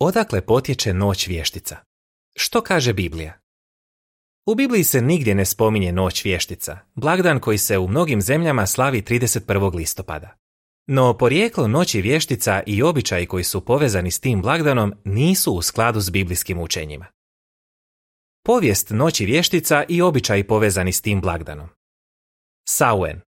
Odakle potječe noć vještica? Što kaže Biblija? U Bibliji se nigdje ne spominje noć vještica, blagdan koji se u mnogim zemljama slavi 31. listopada. No porijeklo noći vještica i običaji koji su povezani s tim blagdanom nisu u skladu s biblijskim učenjima. Povijest noći vještica i običaji povezani s tim blagdanom. Samhain.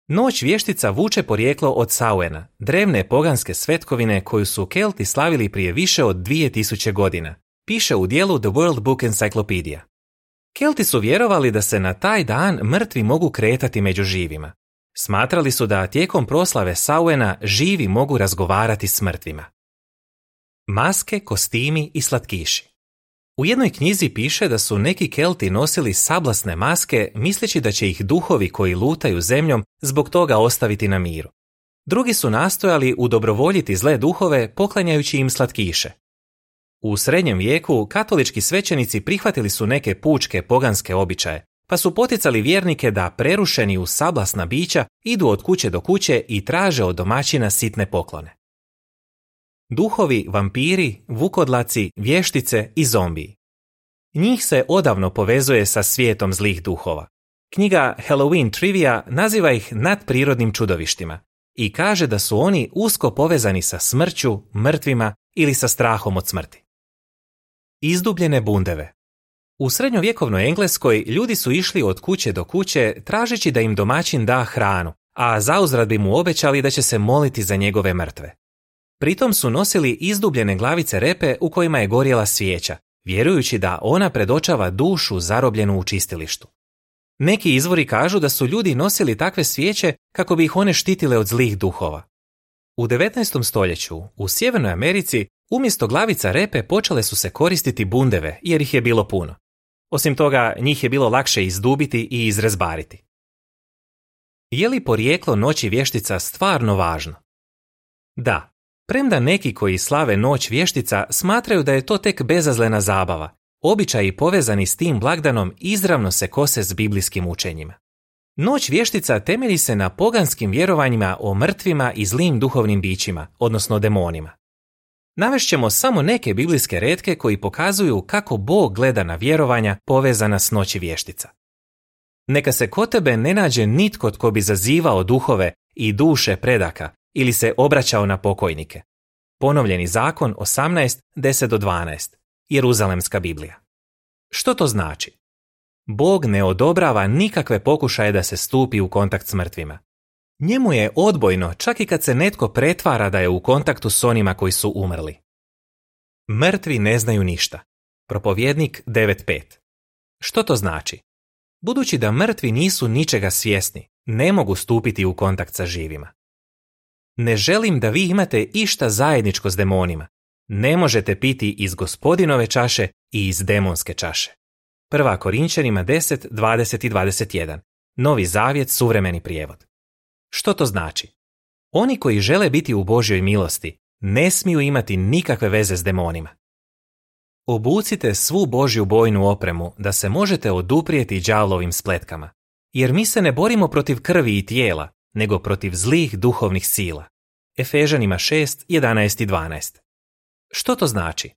Noć vještica vuče porijeklo od Samhaina, drevne poganske svetkovine koju su Kelti slavili prije više od 2000 godina, piše u dijelu The World Book Encyclopedia. Kelti su vjerovali da se na taj dan mrtvi mogu kretati među živima. Smatrali su da tijekom proslave Samhaina živi mogu razgovarati s mrtvima. Maske, kostimi i slatkiši. U jednoj knjizi piše da su neki Kelti nosili sablasne maske misleći da će ih duhovi koji lutaju zemljom zbog toga ostaviti na miru. Drugi su nastojali udobrovoljiti zle duhove poklanjajući im slatkiše. U srednjem vijeku katolički svećenici prihvatili su neke pučke poganske običaje, pa su poticali vjernike da prerušeni u sablasna bića idu od kuće do kuće i traže od domaćina sitne poklone. Duhovi, vampiri, vukodlaci, vještice i zombiji. Njih se odavno povezuje sa svijetom zlih duhova. Knjiga Halloween Trivia naziva ih nadprirodnim čudovištima i kaže da su oni usko povezani sa smrću, mrtvima ili sa strahom od smrti. Izdubljene bundeve. U srednjovjekovnoj Engleskoj ljudi su išli od kuće do kuće tražeći da im domaćin da hranu, a zauzvrat bi mu obećali da će se moliti za njegove mrtve. Pritom su nosili izdubljene glavice repe u kojima je gorjela svijeća, vjerujući da ona predočava dušu zarobljenu u čistilištu. Neki izvori kažu da su ljudi nosili takve svijeće kako bi ih one štitile od zlih duhova. U 19. stoljeću u Sjevernoj Americi umjesto glavica repe počele su se koristiti bundeve jer ih je bilo puno. Osim toga, njih je bilo lakše izdubiti i izrezbariti. Je li porijeklo noći vještica stvarno važno? Da. Premda neki koji slave noć vještica smatraju da je to tek bezazlena zabava, običaji povezani s tim blagdanom izravno se kose s biblijskim učenjima. Noć vještica temelji se na poganskim vjerovanjima o mrtvima i zlim duhovnim bićima, odnosno demonima. Navešćemo samo neke biblijske retke koji pokazuju kako Bog gleda na vjerovanja povezana s noći vještica. Neka se kod tebe ne nađe nitko tko bi zazivao duhove i duše predaka ili se obraćao na pokojnike. Ponovljeni zakon 18, 10-12. Jeruzalemska Biblija. Što to znači? Bog ne odobrava nikakve pokušaje da se stupi u kontakt s mrtvima. Njemu je odbojno čak i kad se netko pretvara da je u kontaktu s onima koji su umrli. Mrtvi ne znaju ništa. Propovjednik 9.5. Što to znači? Budući da mrtvi nisu ničega svjesni, ne mogu stupiti u kontakt sa živima. Ne želim da vi imate išta zajedničko s demonima. Ne možete piti iz Gospodinove čaše i iz demonske čaše. 1. Korinćanima 10, 20 i 21. Novi zavjet, suvremeni prijevod. Što to znači? Oni koji žele biti u Božjoj milosti ne smiju imati nikakve veze s demonima. Obucite svu Božju bojnu opremu da se možete oduprijeti đavlovim spletkama, jer mi se ne borimo protiv krvi i tijela, nego protiv zlih duhovnih sila. Efežanima 6, 11 i 12. Što to znači?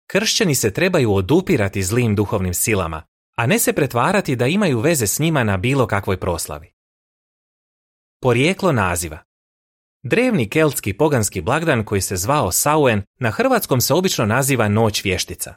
Kršćani se trebaju odupirati zlim duhovnim silama, a ne se pretvarati da imaju veze s njima na bilo kakvoj proslavi. Porijeklo naziva. Drevni keltski poganski blagdan koji se zvao Samhain na hrvatskom se obično naziva Noć vještica.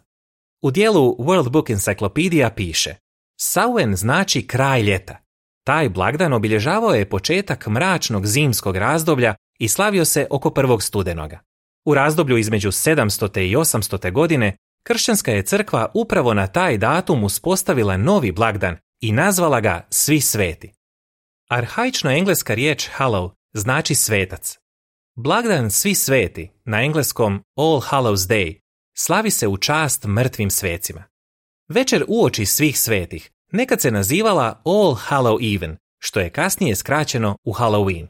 U dijelu World Book Encyclopedia piše: Samhain znači kraj ljeta. Taj blagdan obilježavao je početak mračnog zimskog razdoblja i slavio se oko 1. studenoga. U razdoblju između 700. i 800. godine kršćanska je crkva upravo na taj datum uspostavila novi blagdan i nazvala ga Svi sveti. Arhaična engleska riječ Hallow znači svetac. Blagdan Svi sveti, na engleskom All Hallows Day, slavi se u čast mrtvim svecima. Večer uoči svih svetih nekad se nazivala All Hallow Even, što je kasnije skraćeno u Halloween.